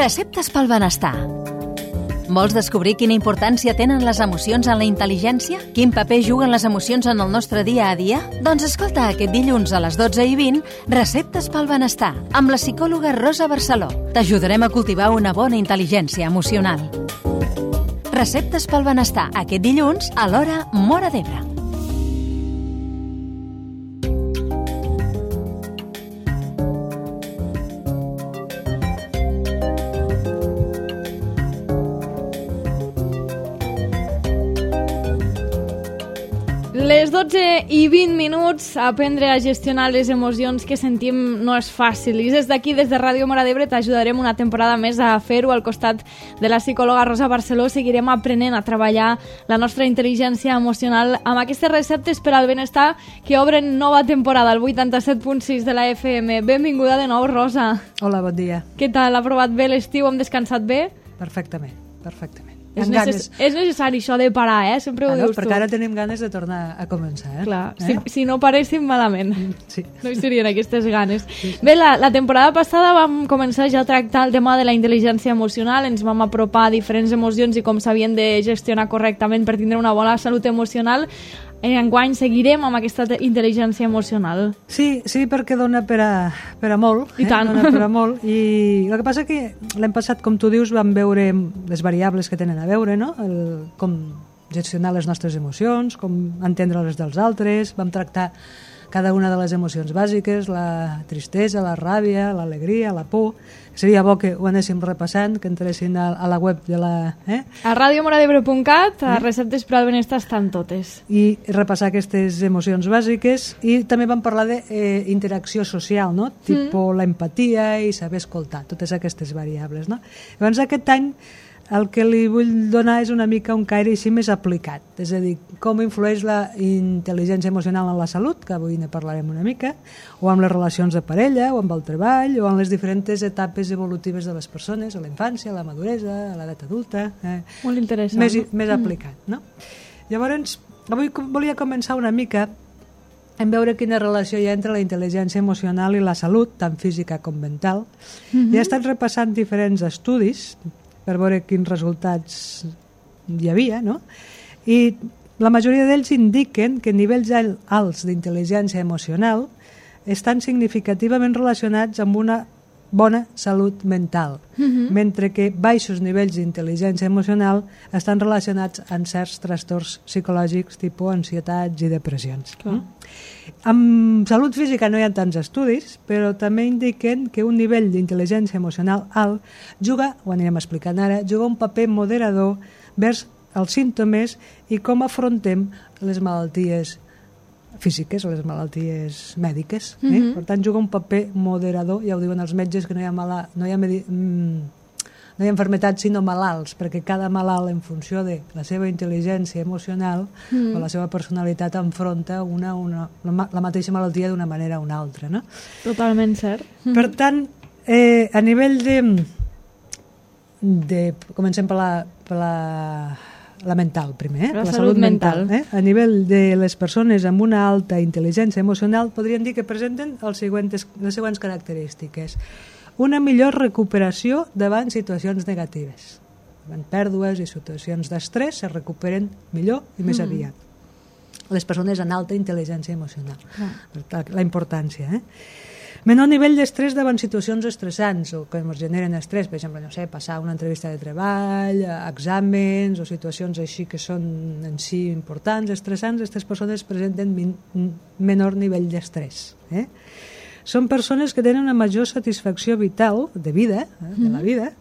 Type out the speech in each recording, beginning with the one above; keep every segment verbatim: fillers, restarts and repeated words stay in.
Receptes pel benestar. Vols descobrir quina importància tenen les emocions en la intel·ligència? Quin paper juguen les emocions en el nostre dia a dia? Doncs escolta aquest dilluns a les dotze i vint Receptes pel benestar, amb la psicòloga Rosa Barceló. T'ajudarem a cultivar una bona intel·ligència emocional. Receptes pel benestar, aquest dilluns a l'hora Móra d'Ebre. Les dotze i vint minuts, aprendre a gestionar les emocions que sentim no és fàcil. I des d'aquí, des de Ràdio Móra d'Ebre, t'ajudarem una temporada més a fer-ho. Al costat de la psicòloga Rosa Barceló seguirem aprenent a treballar la nostra intel·ligència emocional amb aquestes receptes per al benestar que obren nova temporada al vuitanta-set punt sis de la F M. Benvinguda de nou, Rosa. Hola, bon dia. Què tal? Ha provat bé l'estiu? Hem descansat bé? Perfectament, perfectament. És, necess és necessari això de parar, eh? Sempre ho ah, no, dius tu. Perquè ara tenim ganes de tornar a començar, eh? Clar, eh? si, si no paréssim malament. Sí. No hi serien aquestes ganes. Sí, sí. Bé, la, la temporada passada vam començar ja a tractar el tema de la intel·ligència emocional, ens vam apropar a diferents emocions i com s'havien de gestionar correctament per tindre una bona salut emocional. Enguany seguirem amb aquesta intel·ligència emocional. Sí, sí, perquè dona per a, per a molt. I eh? tant. Dona per a molt. I el que passa que l'any passat, com tu dius, vam veure les variables que tenen a veure, no? El, com gestionar les nostres emocions, com entendre les dels altres, vam tractar cada una de les emocions bàsiques, la tristesa, la ràbia, l'alegria, la por. Seria bo que ho anéssim repassant, que entressin a, a la web de la... Eh? A radio mora d'ebre punt cat, a eh? Receptes per al benestar estan totes. I repassar aquestes emocions bàsiques. I també vam parlar d'interacció eh, social, no? Mm. Tipo l'empatia i saber escoltar, totes aquestes variables, no? Llavors aquest any el que li vull donar és una mica un caire així més aplicat, és a dir, com influeix la intel·ligència emocional en la salut, que avui ne parlarem una mica, o amb les relacions de parella, o amb el treball, o en les diferents etapes evolutives de les persones, a la infància, a la maduresa, a l'edat adulta. Eh? Molt interessant. Més, més aplicat, no? Llavors, avui volia començar una mica en veure quina relació hi ha entre la intel·ligència emocional i la salut, tant física com mental. Mm-hmm. I he estat repassant diferents estudis per veure quins resultats hi havia, no? I la majoria d'ells indiquen que nivells alts d'intel·ligència emocional estan significativament relacionats amb una bona salut mental, mm-hmm. mentre que baixos nivells d'intel·ligència emocional estan relacionats amb certs trastorns psicològics tipus ansietats i depressions. Clar. Amb salut física no hi ha tants estudis, però també indiquen que un nivell d'intel·ligència emocional alt juga, ho anirem explicant ara, juga un paper moderador vers els símptomes i com afrontem les malalties físiques o les malalties mèdiques. Eh? Mm-hmm. Per tant, juga un paper moderador, ja ho diuen els metges, que no hi ha, mala, no hi ha, medi, mm, no hi ha malaltats sinó malalts, perquè cada malalt, en funció de la seva intel·ligència emocional mm. o la seva personalitat, enfronta una, una, la, la mateixa malaltia d'una manera o una altra. No? Totalment cert. Mm. Per tant, eh, a nivell de, de... Comencem per la... Per la la mental primer, eh? la, la salut, salut mental, mental. Eh? A nivell de les persones amb una alta intel·ligència emocional podríem dir que presenten els següents, les següents característiques. Una millor recuperació davant situacions negatives. Davant pèrdues i situacions d'estrès se recuperen millor i més mm. aviat. Les persones amb alta intel·ligència emocional. Ah. La importància, eh? Menor nivell d'estrès davant situacions estressants o que ens generen estrès, per exemple, no sé, passar una entrevista de treball, exàmens o situacions així que són en si importants, estressants, aquestes persones presenten min, menor nivell d'estrès. Eh? Són persones que tenen una major satisfacció vital, de vida, eh, de la vida,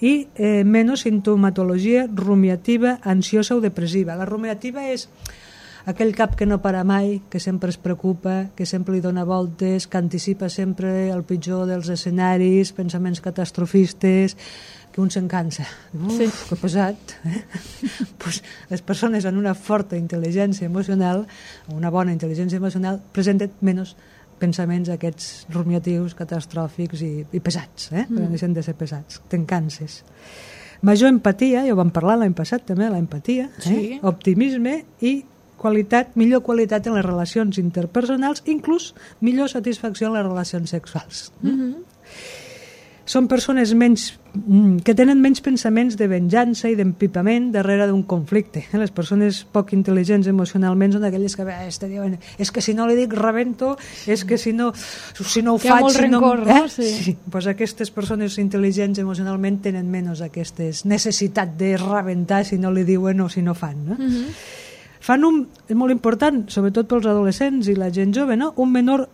i eh, menys sintomatologia rumiativa, ansiosa o depressiva. La rumiativa és aquell cap que no para mai, que sempre es preocupa, que sempre li dona voltes, que anticipa sempre el pitjor dels escenaris, pensaments catastrofistes, que un se'n cansa. Uf, sí. Que pesat. Eh? Pues les persones amb una forta intel·ligència emocional, una bona intel·ligència emocional, presenten menys pensaments aquests rumiatius, catastròfics i, i pesats, eh? Mm. Però no deixen de ser pesats, te'n canses. Major empatia, ja ho vam parlar l'any passat també, l'empatia, sí. eh? Optimisme i qualitat, millor qualitat en les relacions interpersonals, inclús millor satisfacció en les relacions sexuals. Mm-hmm. són persones menys, que tenen menys pensaments de venjança i d'empipament darrere d'un conflicte. Les persones poc intel·ligents emocionalment són aquelles que eh, diuen, és que si no li dic rebento, és que si no, si no ho que faig... hi ha molt si rencor, no... no? Eh? Sí. Sí. Pues aquestes persones intel·ligents emocionalment tenen menys aquestes necessitat de rebentar si no li diuen o si no fan. No? Uh-huh. Fan un, és molt important, sobretot pels adolescents i la gent jove, no? Un menor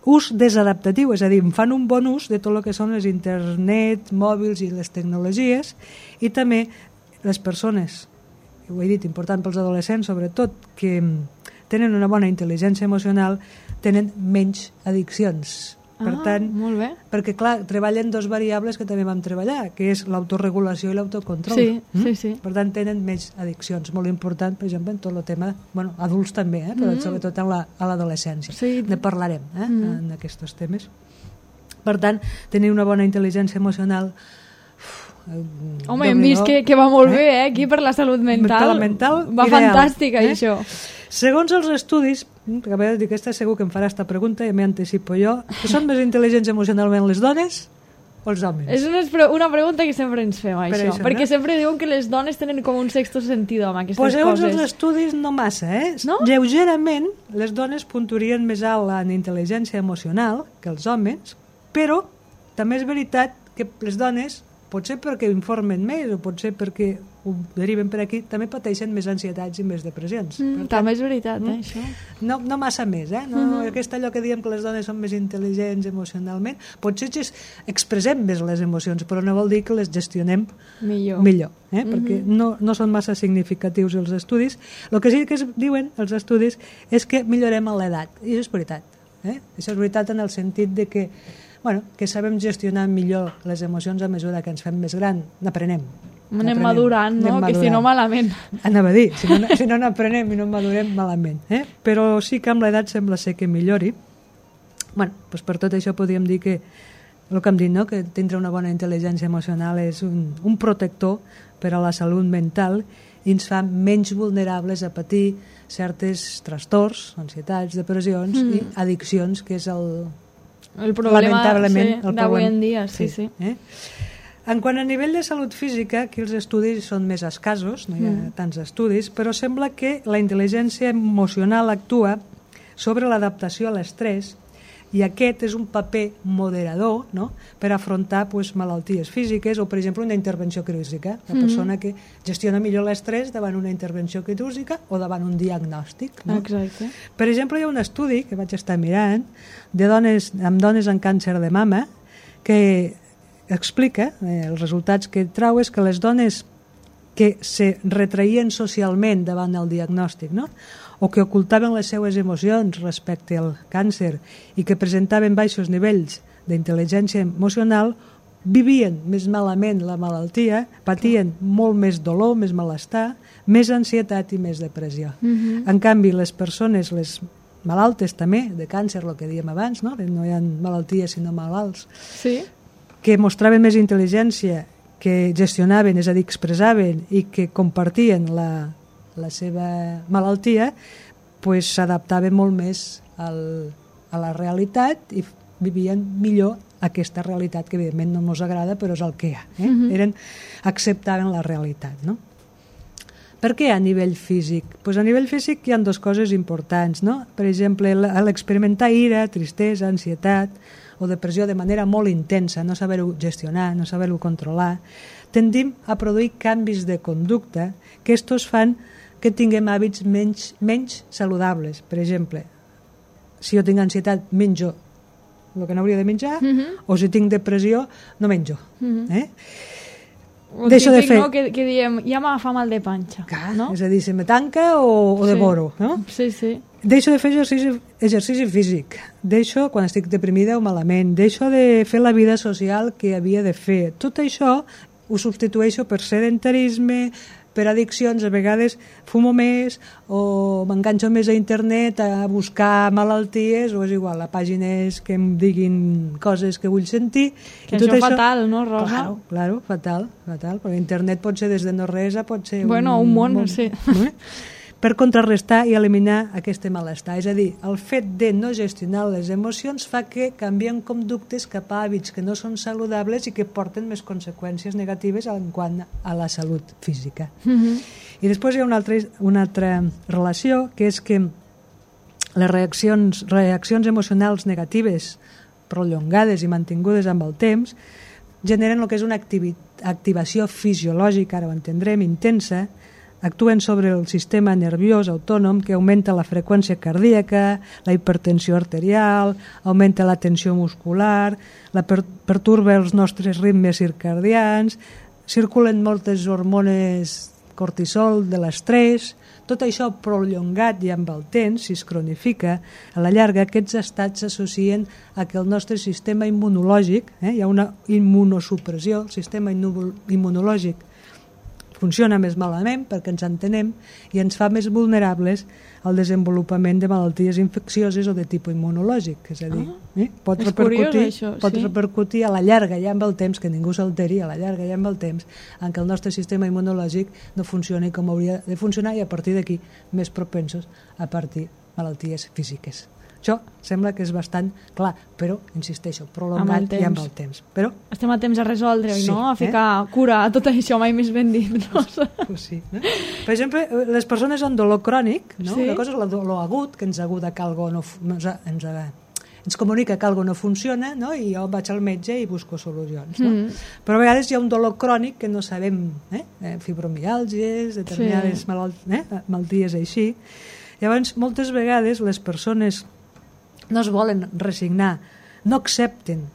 ús desadaptatiu, és a dir, fan un bon ús de tot el que són les internet, mòbils i les tecnologies, i també les persones, ho he dit, important pels adolescents sobretot, que tenen una bona intel·ligència emocional, tenen menys addiccions. Per ah, tant, molt bé. perquè clar, treballen dos variables que també vam treballar, que és l'autoregulació i l'autocontrol. Sí, mm? sí, sí. Per tant, tenen menys addiccions. Molt important, per exemple, en tot el tema, bueno, adults també, eh? Però mm. sobretot en la, a l'adolescència. Sí. Ne parlarem eh? mm. en aquests temes. Per tant, tenir una bona intel·ligència emocional... Uf, home, hem vist que, que va molt eh? bé, eh? Aquí per la salut mental. La mental va ideal, fantàstica, eh? això. Segons els estudis, que a veure, dic, aquesta segur que em farà esta pregunta, ja m'hi anticipo jo, que són més intel·ligents emocionalment les dones o els homes? És una, una pregunta que sempre ens fem, això, això perquè no? sempre diuen que les dones tenen com un sexto sentido amb aquestes pues coses. Segons els estudis, no massa, eh? No? Lleugerament, les dones puntuarien més alt en intel·ligència emocional que els homes, però també és veritat que les dones, potser perquè informen més o potser perquè ho deriven per aquí, també pateixen més ansietats i més depressions. Mm, també és veritat, eh, mm, això. No, no massa més, eh? No, mm -hmm. Aquest allò que diem que les dones són més intel·ligents emocionalment, potser expressem més les emocions, però no vol dir que les gestionem millor, millor eh? Mm -hmm. perquè no, no són massa significatius els estudis. El que sí que es diuen els estudis és que millorem a l'edat, i això és veritat. Eh? Això és veritat en el sentit de que bueno, que sabem gestionar millor les emocions a mesura que ens fem més gran, n'aprenem. Anem madurant, no? Anem que si no malament. Anava a dir, si no, si no n'aprenem i no madurem malament. Eh? Però sí que amb l'edat sembla ser que millori. Bueno, doncs per tot això podríem dir que el que hem dit, no? Que tindre una bona intel·ligència emocional és un, un protector per a la salut mental i ens fa menys vulnerables a patir certes trastorns, ansietats, depressions mm. i addiccions, que és el... El problema lamentablement sí, d'avui en dia, sí, sí. sí. Eh? En quant a nivell de salut física, aquí els estudis són més escassos, no hi ha mm. tants estudis, però sembla que la intel·ligència emocional actua sobre l'adaptació a l'estrès i aquest és un paper moderador, no?, per afrontar pues, malalties físiques o, per exemple, una intervenció quirúrgica. La persona mm. que gestiona millor l'estrès davant una intervenció quirúrgica o davant un diagnòstic. No? Exacte. Per exemple, hi ha un estudi que vaig estar mirant de dones, amb dones amb càncer de mama que explica, eh, els resultats que trau és que les dones que se retraïen socialment davant el diagnòstic, no?, o que ocultaven les seues emocions respecte al càncer i que presentaven baixos nivells d'intel·ligència emocional, vivien més malament la malaltia, patien molt més dolor, més malestar, més ansietat i més depressió. Uh-huh. En canvi, les persones, les malaltes també, de càncer, el que dèiem abans, no, no hi ha malalties sinó malalts, sí. que mostraven més intel·ligència, que gestionaven, és a dir, expressaven i que compartien la, la seva malaltia, pues, s'adaptaven molt més al, a la realitat i vivien millor aquesta realitat que evidentment no ens agrada però és el que hi ha. Eh? Uh-huh. Eren, acceptaven la realitat. No? Per què a nivell físic? Pues a nivell físic hi ha dues coses importants. No? Per exemple, l'experimentar ira, tristesa, ansietat o depressió de manera molt intensa, no saber-ho gestionar, no saber-ho controlar, tendim a produir canvis de conducta que estos fan que tinguem hàbits menys, menys saludables. Per exemple, si jo tinc ansietat, menjo el que no hauria de menjar, uh-huh. o si tinc depressió, no menjo. Uh-huh. Eh? O Deixo típic, de fer... no?, que, que diem, ja m'agafa mal de panxa. Clar, no? És a dir, se me tanca o, o sí. devoro. No? Sí, sí. Deixo de fer exercici, exercici físic. Deixo, quan estic deprimida o malament, deixo de fer la vida social que havia de fer. Tot això ho substitueixo per sedentarisme, per addiccions, a vegades fumo més o m'enganxo més a internet a buscar malalties o és igual, a pàgines que em diguin coses que vull sentir. Que I això és fatal, no, Rosa? Claro, claro, fatal, fatal, perquè internet pot ser des de no res a pot ser bueno, un, un món, un, sí. No? per contrarrestar i eliminar aquest malestar. És a dir, el fet de no gestionar les emocions fa que canvien conductes cap a hàbits que no són saludables i que porten més conseqüències negatives en quant a la salut física. Mm-hmm. I després hi ha una altra, una altra relació, que és que les reaccions, reaccions emocionals negatives prolongades i mantingudes amb el temps generen el que és una activi- activació fisiològica, ara ho entendrem, intensa, actuen sobre el sistema nerviós autònom que augmenta la freqüència cardíaca, la hipertensió arterial, augmenta la tensió muscular, la per- perturba els nostres ritmes circadians, circulen moltes hormones cortisol de l'estrès. Tot això prolongat i amb el temps, si es cronifica, a la llarga aquests estats s'associen a que el nostre sistema immunològic, eh, hi ha una immunosupressió, el sistema immunològic funciona més malament perquè ens entenem i ens fa més vulnerables al desenvolupament de malalties infeccioses o de tipus immunològic. És a dir, ah, eh? pot, repercutir, curiós, això, pot sí. repercutir a la llarga ja amb el temps, que ningú s'alteri, a la llarga ja amb el temps, en què el nostre sistema immunològic no funcioni com hauria de funcionar i a partir d'aquí més propensos a partir malalties físiques. Això sembla que és bastant clar, però, insisteixo, prolongat i amb el temps. Però estem a temps a resoldre, sí, no? A ficar eh? cura a tot això, mai més ben dit. No? Pues sí, no? Per exemple, les persones amb dolor crònic, no? Sí. Una cosa és el dolor agut, que ens aguda que algo no, ens, ens, ens comunica que algo no funciona, no? I jo vaig al metge i busco solucions. No? Mm. Però a vegades hi ha un dolor crònic que no sabem, eh? fibromiàlgies, determinades sí. malalt eh? malalties així. Llavors, moltes vegades les persones no es volen resignar, no accepten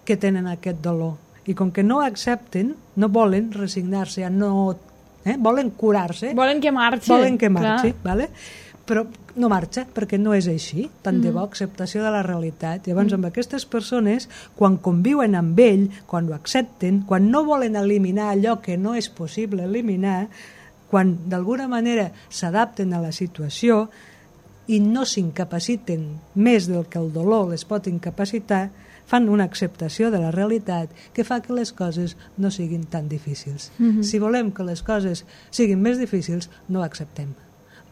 que tenen aquest dolor. I com que no accepten, no volen resignar-se, no, eh? volen curar-se. Volen que marxi. Volen que marxi, vale? Però no marxa, perquè no és així. Tant de bo, acceptació de la realitat. Llavors, amb aquestes persones, quan conviuen amb ell, quan ho accepten, quan no volen eliminar allò que no és possible eliminar, quan d'alguna manera s'adapten a la situació, i no s'incapaciten més del que el dolor les pot incapacitar, fan una acceptació de la realitat que fa que les coses no siguin tan difícils. Mm-hmm. Si volem que les coses siguin més difícils, no ho acceptem.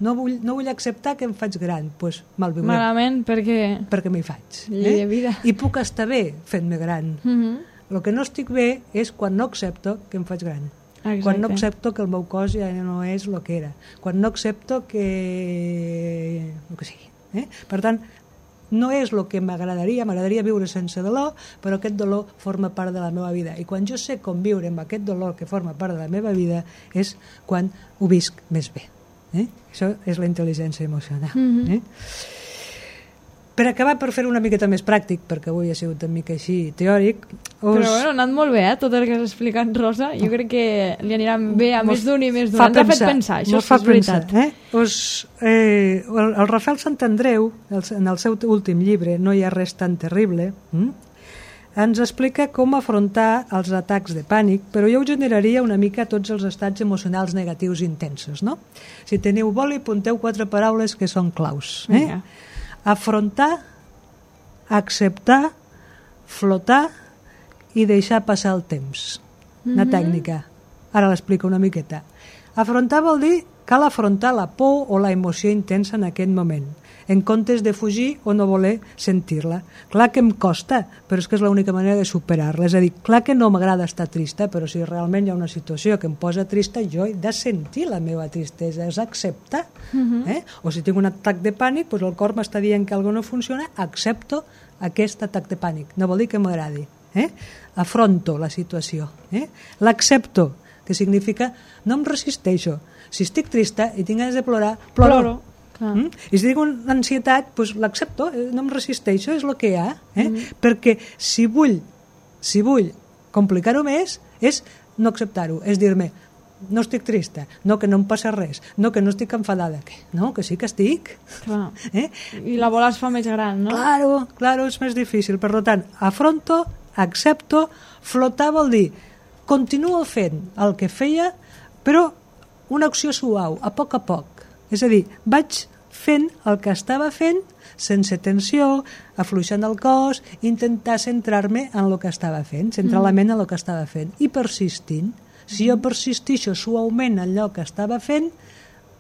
No vull, no vull acceptar que em faig gran, doncs pues, malviuré. Malament, perquè... Perquè m'hi faig. Llei de vida. I puc estar bé fent-me gran. Mm-hmm. El que no estic bé és quan no accepto que em faig gran. Exacte. Quan no accepto que el meu cos ja no és el que era, quan no accepto que... el que sigui. Eh? Per tant, no és el que m'agradaria, m'agradaria viure sense dolor, però aquest dolor forma part de la meva vida. I quan jo sé conviure amb aquest dolor que forma part de la meva vida és quan ho visc més bé. Eh? Això és la intel·ligència emocional. Mm-hmm. eh? Per acabar, per fer una miqueta més pràctic, perquè avui ha sigut una mica així teòric... Us... Però bueno, ha anat molt bé, eh, tot el que has explicat, Rosa. Jo crec que li anirà bé a més d'un i més d'un. Ens ha fet pensar, això és veritat. Eh? Us, eh, el, el Rafael Santandreu, el, en el seu últim llibre, No hi ha res tan terrible, hm? ens explica com afrontar els atacs de pànic, però jo ho generaria una mica tots els estats emocionals negatius intensos. No? Si teniu boli, apunteu quatre paraules que són claus. Eh? Yeah. Afrontar, acceptar, flotar i deixar passar el temps. Una mm-hmm. tècnica. Ara l'explico una miqueta. Afrontar vol dir cal afrontar la por o la emoció intensa en aquest moment, en comptes de fugir o no voler sentir-la. Clar que em costa, però és que és l'única manera de superar-la. És a dir, clar que no m'agrada estar trista, però si realment hi ha una situació que em posa trista, jo he de sentir la meva tristesa, és acceptar. Uh-huh. eh? O si tinc un atac de pànic, doncs el cor m'està dient que alguna no funciona, accepto aquest atac de pànic. No vol dir que m'agradi. Eh? Afronto la situació. Eh? L'accepto, que significa no em resisteixo. Si estic trista i tinc ganes de plorar, ploro. ploro. Mm? I si tinc una ansietat, doncs l'accepto, no em resisteixo, és el que hi ha. Eh? Mm. Perquè si vull, si vull complicar-ho més, és no acceptar-ho, és dir-me, no estic trista, no, que no em passa res, no, que no estic enfadada, que no, que sí que estic. Clar. Eh? I la bola es fa més gran, no? Claro, claro, és més difícil. Per tant, afronto, accepto, flotar vol dir, continuo fent el que feia, però una acció suau, a poc a poc. És a dir, vaig fent el que estava fent sense tensió, afluixant el cos, intentar centrar-me en el que estava fent, centrar mm. la ment en el que estava fent, i persistint. Si jo persistixo suaument en allò que estava fent,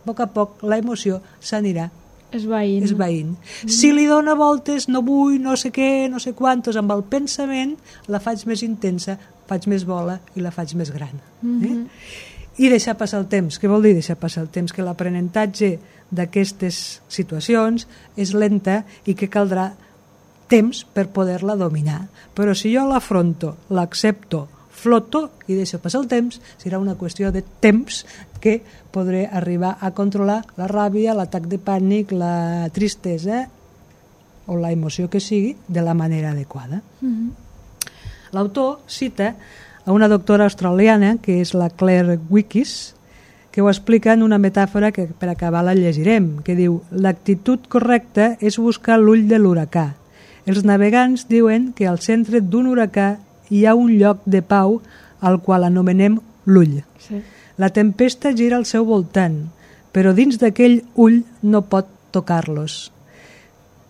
a poc a poc la emoció s'anirà esvaint. esvaint. Mm. Si li dona voltes, no vull, no sé què, no sé quantos, amb el pensament la faig més intensa, faig més bola i la faig més gran. Mm-hmm. eh? I deixar passar el temps. Què vol dir deixar passar el temps? Que l'aprenentatge d'aquestes situacions és lenta i que caldrà temps per poder-la dominar. Però si jo l'afronto, l'accepto, floto i deixo passar el temps, serà una qüestió de temps que podré arribar a controlar la ràbia, l'atac de pànic, la tristesa o la emoció que sigui de la manera adequada. Mm-hmm. L'autor cita a una doctora australiana, que és la Claire Wickes, que ho explica en una metàfora que per acabar la llegirem, que diu: l'actitud correcta és buscar l'ull de l'huracà. Els navegants diuen que al centre d'un huracà hi ha un lloc de pau al qual anomenem l'ull. Sí. La tempesta gira al seu voltant, però dins d'aquell ull no pot tocar-los.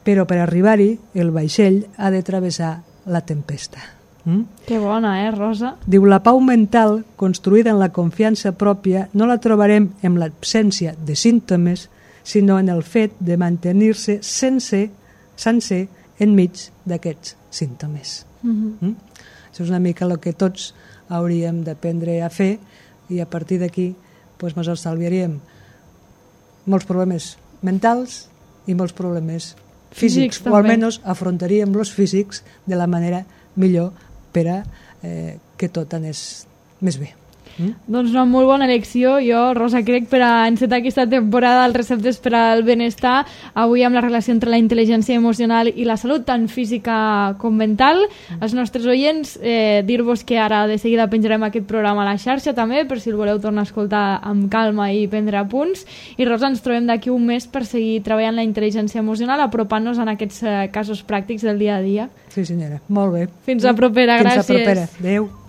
Però per arribar-hi, el vaixell ha de travessar la tempesta. Mm? Que bona, eh, Rosa? Diu, la pau mental, construïda en la confiança pròpia, no la trobarem en l'absència de símptomes, sinó en el fet de mantenir-se sense, sencer enmig d'aquests símptomes. Mm-hmm. Mm? Això és una mica el que tots hauríem d'aprendre a fer i a partir d'aquí doncs, ens estalviaríem molts problemes mentals i molts problemes físics, físics o almenys afrontaríem els físics de la manera millor per a eh, que tot anés més bé. Mm? Doncs una molt bona elecció. Jo, Rosa, crec per a encetar aquesta temporada els receptes per al benestar, avui amb la relació entre la intel·ligència emocional i la salut, tant física com mental. Mm. Els nostres oients, eh, dir-vos que ara de seguida penjarem aquest programa a la xarxa també, per si el voleu tornar a escoltar amb calma i prendre apunts. I Rosa, ens trobem d'aquí un mes per seguir treballant la intel·ligència emocional, apropant-nos en aquests eh, casos pràctics del dia a dia. Sí, senyora. Molt bé. Fins a propera. Fins gràcies. Fins a propera. Adéu.